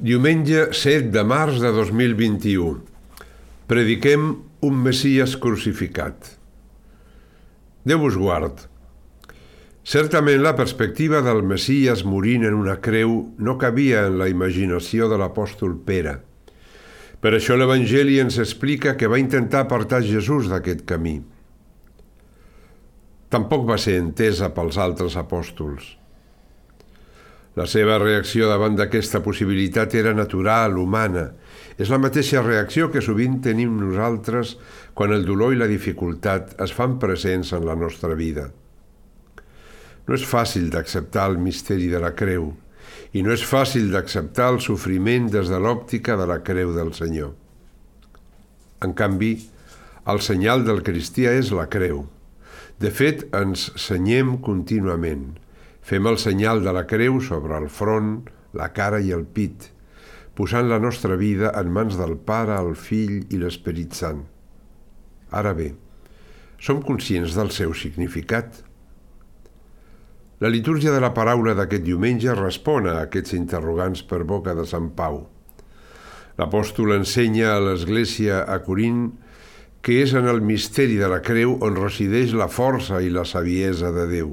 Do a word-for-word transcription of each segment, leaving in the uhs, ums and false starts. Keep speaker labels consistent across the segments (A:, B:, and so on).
A: Diumenge set de març de dos mil vint-i-u. Prediquem un Messies crucificat. Déu us guard. Certament la perspectiva del Messies morint en una creu no cabia en la imaginació de l'apòstol Pere. Per això l'Evangeli ens explica que va intentar apartar Jesús d'aquest camí. Tampoc va ser entesa pels altres apòstols. La seva reacció davant d'aquesta possibilitat era natural, humana. És la mateixa reacció que sovint tenim nosaltres quan el dolor i la dificultat es fan presents en la nostra vida. No és fàcil d'acceptar el misteri de la creu i no és fàcil d'acceptar el sofriment des de l'òptica de la creu del Senyor. En canvi, el senyal del cristià és la creu. De fet, ens senyem contínuament. Fem el senyal de la creu sobre el front, la cara i el pit, posant la nostra vida en mans del Pare, el Fill i l'Esperit Sant. Ara bé, som conscients del seu significat? La litúrgia de la paraula d'aquest diumenge respon a aquests interrogants per boca de Sant Pau. L'apòstol ensenya a l'Església a Corint que és en el misteri de la creu on resideix la força i la saviesa de Déu.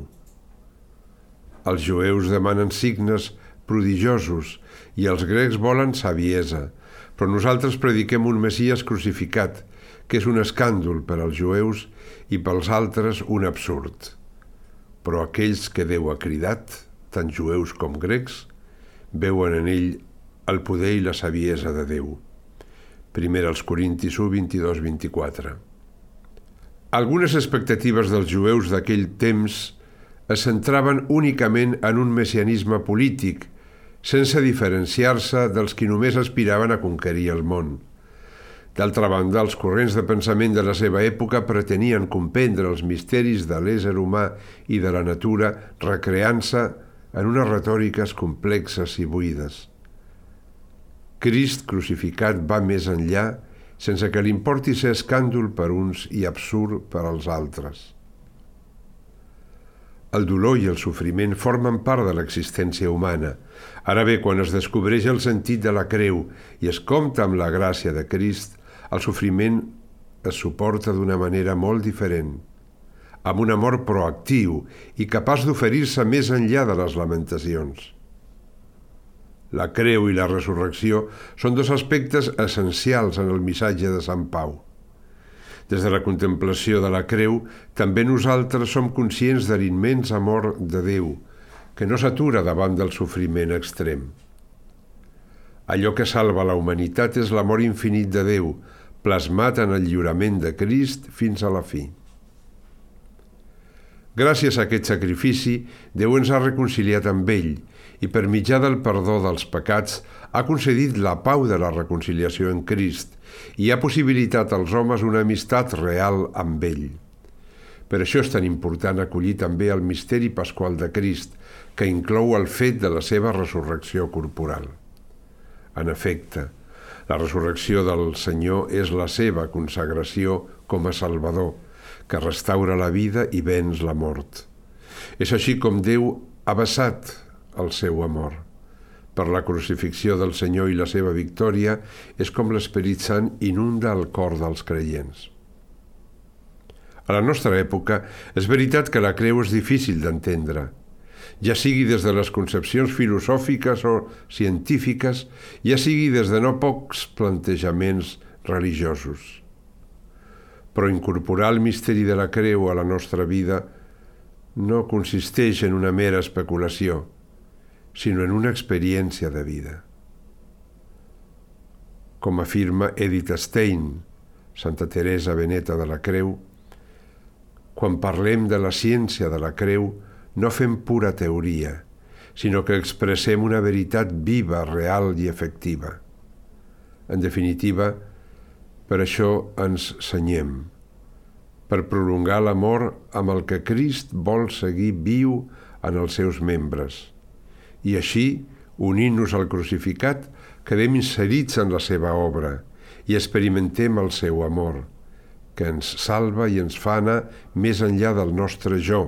A: Els jueus demanen signes prodigiosos i els grecs volen saviesa, però nosaltres prediquem un Messies crucificat, que és un escàndol per als jueus i pels altres un absurd. Però aquells que Déu ha cridat, tant jueus com grecs, veuen en ell el poder i la saviesa de Déu. Primer als Corintis u, vint-i-dos vint-i-quatre. Algunes expectatives dels jueus d'aquell temps es centraven únicament en un messianisme polític, sense diferenciar-se dels qui només aspiraven a conquerir el món. D'altra banda, els corrents de pensament de la seva època pretenien comprendre els misteris de l'ésser humà i de la natura, recreant-se en unes retòriques complexes i buides. Crist crucificat va més enllà, sense que li importi ser escàndol per uns i absurd per als altres. El dolor i el sofriment formen part de l'existència humana. Ara bé, quan es descobreix el sentit de la creu i es compta amb la gràcia de Crist, el sofriment es suporta d'una manera molt diferent, amb un amor proactiu i capaç d'oferir-se més enllà de les lamentacions. La creu i la resurrecció són dos aspectes essencials en el missatge de Sant Pau. Des de la contemplació de la creu, també nosaltres som conscients de l'immens amor de Déu, que no s'atura davant del sofriment extrem. Allò que salva la humanitat és l'amor infinit de Déu, plasmat en el lliurament de Crist fins a la fi. Gràcies a aquest sacrifici, Déu ens ha reconciliat amb ell i per mitjà del perdó dels pecats ha concedit la pau de la reconciliació en Crist i ha possibilitat als homes una amistat real amb ell. Per això és tan important acollir també el misteri pasqual de Crist, que inclou el fet de la seva resurrecció corporal. En efecte, la resurrecció del Senyor és la seva consagració com a Salvador, que restaura la vida i venç la mort. És així com Déu ha vessat el seu amor. Per la crucifixió del Senyor i la seva victòria és com l'Esperit Sant inunda el cor dels creients. A la nostra època és veritat que la creu és difícil d'entendre, ja sigui des de les concepcions filosòfiques o científiques, ja sigui des de no pocs plantejaments religiosos. Però incorporar el misteri de la creu a la nostra vida no consisteix en una mera especulació, sinó en una experiència de vida. Com afirma Edith Stein, Santa Teresa Beneta de la Creu, quan parlem de la ciència de la creu, no fem pura teoria, sinó que expressem una veritat viva, real i efectiva. En definitiva, per això ens senyem, per prolongar l'amor amb el que Crist vol seguir viu en els seus membres. I així, unint-nos al crucificat, quedem inserits en la seva obra i experimentem el seu amor, que ens salva i ens fa anar més enllà del nostre jo,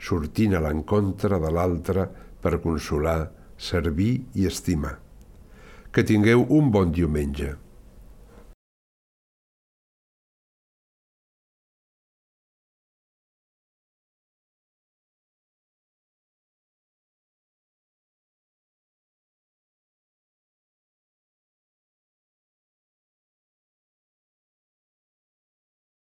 A: sortint a l'encontre de l'altre per consolar, servir i estimar. Que tingueu un bon diumenge.